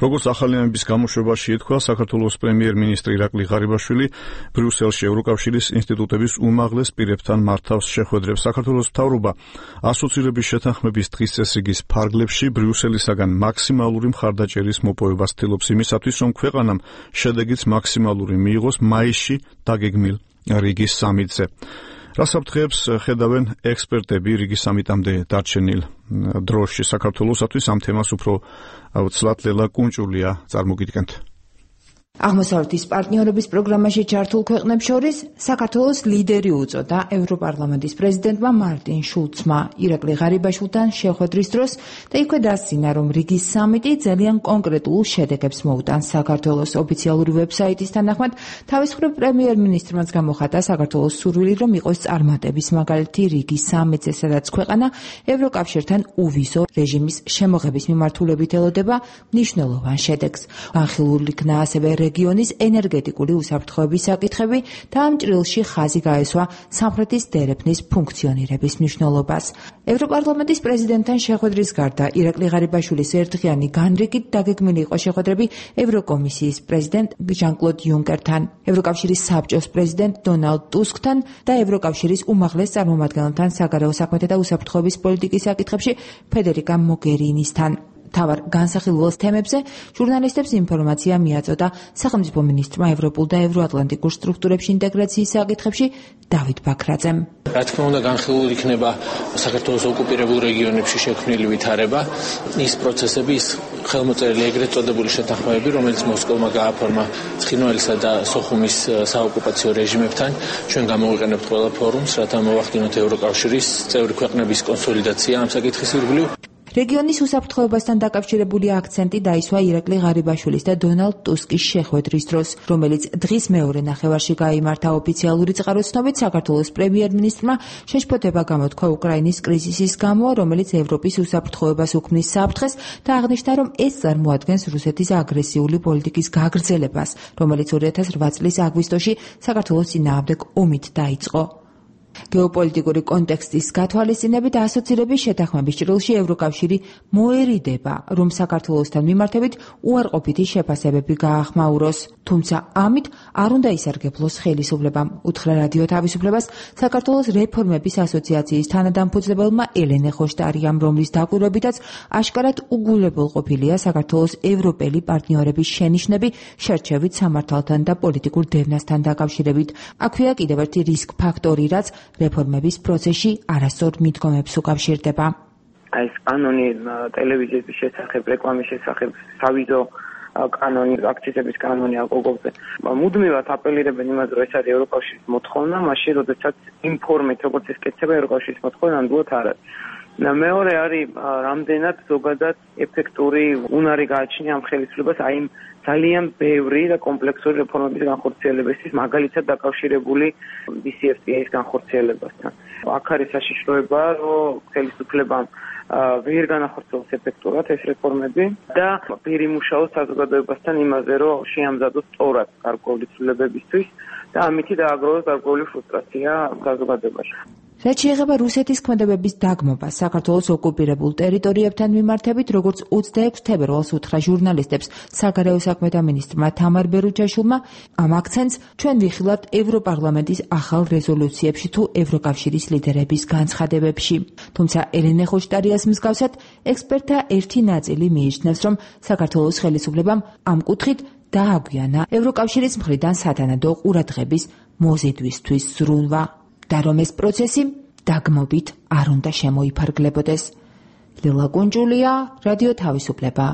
როგორც ახალი ამბის გამოშვებაში ეთქვა, საქართველოს პრემიერ-მინისტრი ირაკლი ღარიბაშვილი ბრიუსელში ევროკავშირის ინსტიტუტების უმაღლეს პირებთან მართავს შეხვედრებს. საქართველოს მთავრობა ასოცირების შეთანხმების დღის წესრიგის ფარგლებში ბრიუსელისაგან მაქსიმალური მხარდაჭერის მოპოვებას ცდილობს იმისათვის, რომ ქვეყანამ შედეგიც მაქსიმალური მიიღოს მაისში დაგეგმილ რიგის სამიტზე. რასაფრთხეებს ხედავენ ექსპერტები რიგის სამიტამდე დარჩენილ დროში საქართველოსათვის? ამ თემას უფრო ცლად ლელა კუნჭულია წარმოგიდგენთ. აღმოსავლეთის პარტნიორობის პროგრამაში ჩართულ ქვეყნებს შორის საქართველოს ლიდერი უწოდა ევროპარლამენტის პრეზიდენტმა მარტინ შულცმა ირაკლი ღარიბაშვილთან შეხვედრის დროს და იქვე დასძინა, რომ რიგის სამიტი ძალიან კონკრეტულ შედეგებს მოუტანს. საქართველოს ოფიციალური ვებსაიტის თანახმად, თავის მხრივ პრემიერ-მინისტრმაც გამოხატა საქართველოს სურვილი, რომ იყოს წარმატების მაგალითი რიგის სამიტზე, სადაც ქვეყანა ევროკავშირთან უვიზო რეჟიმის შემოღების მიმართულებით ელოდება მნიშვნელოვან შედეგს. განხილულ იქნა ასევე რეგიონის ენერგეტიკული უსაფრთხოების საკითხები და ამ ჭრილში ხაზი გაესვა სამხრეთის დერეფნის ფუნქციონირების მნიშვნელობას. ევროპარლამენტის პრეზიდენტთან შეხვედრის გარდა ირაკლი ღარიბაშვილის ერთდღიანი განრიგით დაგეგმილი იყო შეხვედრები ევროკომისიის პრეზიდენტ ჟან-კლოდ იუნკერთან, ევროკავშირის საბჭოს პრეზიდენტ დონალდ ტუსკთან და ევროკავშირის უმაღლეს წარმომადგენელთან საგარეო საქმეთა და უსაფრთხოების პოლიტიკის საკითხებში ფედერიკა მოგერინისთან. თავარ განსახილველ თემებზე ჟურნალისტებს ინფორმაცია მიაწოდა სახელმწიფო მინისტრმა ევროპულ და ევროატლანტიკურ სტრუქტურებში ინტეგრაციის საკითხებში დავით ბაქრაძემ. რა თქმა უნდა, განხილულ იქნება საქართველოს ოკუპირებულ რეგიონებში შექმნილი ვითარება, ის პროცესები, ის ხელმოწერილი ეგრეთ წოდებული შეთანხმებები, რომელიც მოსკოვმა გააფორმა ცხინვალისა და სოხუმის საოკუპაციო რეჟიმებთან, ჩვენ გამოვიყენებთ ყველა ფორუმს, რათა მოვახდინოთ ევროკავშირის წევრი ქვეყნების კონსოლიდაცია ამ საკითხის ირგვლივ. რეგიონის უსაფრთხოებასთან დაკავშირებული აქცენტი დაისვა ირაკლი ღარიბაშვილის და დონალდ ტუსკის შეხვედრის დროს, რომელიც დღის მეორე ნახევარში გაიმართა. ოფიციალური წყაროს ცნობით, საქართველოს პრემიერ-მინისტრმა შეშფოთება გამოთქვა უკრაინის კრიზისის გამო, რომელიც ევროპის უსაფრთხოებას უქმნის საფრთხეს და აღნიშნა, რომ ეს წარმოადგენს რუსეთის აგრესიული პოლიტიკის გაგრძელებას, რომელიც 2008 წლის აგვისტოში საქართველოს წინააღმდეგ ომით დაიწყო. გეოპოლიტიკური კონტექსტის გათვალისწინებით ასოცირების შეთანხმების ჭრილში ევროკავშირი მოერიდება, რომ საქართველოსთან მიმართებით უარყოფითი შეფასებები გაახმაუროს. თუმცა ამით არ უნდა ისარგებლოს ხელისუფლებამ, უთხრა რადიო თავისუფლებას საქართველოს რეფორმების ასოციაციის თანადამფუძნებელმა ელენე ხოშტარიამ, რომლის დაკვირვებითაც აშკარად უგულებელყოფილია საქართველოს ევროპელი პარტნიორების შენიშვნები შერჩევით სამართალთან და პოლიტიკურ დევნასთან დაკავშირებით. აქვეა კიდევ ერთი რისკ ფაქტორი, რაც რეფორმების პროცესში არასწორ მიდგომებს უკავშირდება. ეს კანონი ტელევიზიის შესახებ, რეკლამის შესახებ, სავიზო კანონი, აქციზების კანონი ალკოგოლზე. მუდმივად აპელირებენ იმაზე, რომ ეს არის ევროკავშირის მოთხოვნა, მაშინ როდესაც იმ ფორმით, როგორც ეს კეთდება ევროკავშირის მოთხოვნა, ნამდვილად არ არის. მეორე არის რამდენად ზოგადად ეფექტური უნარი გააჩნია ამ ხელისუფლებას აი იმ ძალიან ბევრი და კომპლექსური რეფორმების განხორციელებისთვის, მაგალითად დაკავშირებული DCFTA-ის განხორციელებასთან. აქ არის საშიშროება, რომ ხელისუფლებამ ვერ განახორციელოს ეფექტურად ეს რეფორმები და ვერ იმუშაოს საზოგადოებასთან იმაზე, რომ შეამზადოს სწორად გარკვეული ცვლილებებისთვის და ამითი დააგროვოს გარკვეული ფრუსტრაცია საზოგადოებაში. რაც შეეხება რუსეთის ქმედებების დაგმობას საქართველოს ოკუპირებულ ტერიტორიებთან მიმართებით, როგორც 26 თებერვალს უთხრა ჟურნალისტებს საგარეო საქმეთა მინისტრმა თამარ ბერუჩაშვილმა, ამ აქცენტს ჩვენ ვიხილავთ ევროპარლამენტის ახალ რეზოლუციებში თუ ევროკავშირის ლიდერების განცხადებებში. თუმცა ელენე ხოშტარიას მსგავსად, ექსპერტთა ერთი ნაწილი მიიჩნევს, რომ საქართველოს ხელისუფლებამ ამ კუთხით დააგვიანა ევროკავშირის მხრიდან სათანადო ყურადღების მოზიდვისთვის ზრუნვა. და რომ ეს პროცესი დაგმობით არ უნდა შემოიფარგლებოდეს. ლელა კუნჯულია, რადიო თავისუფლება.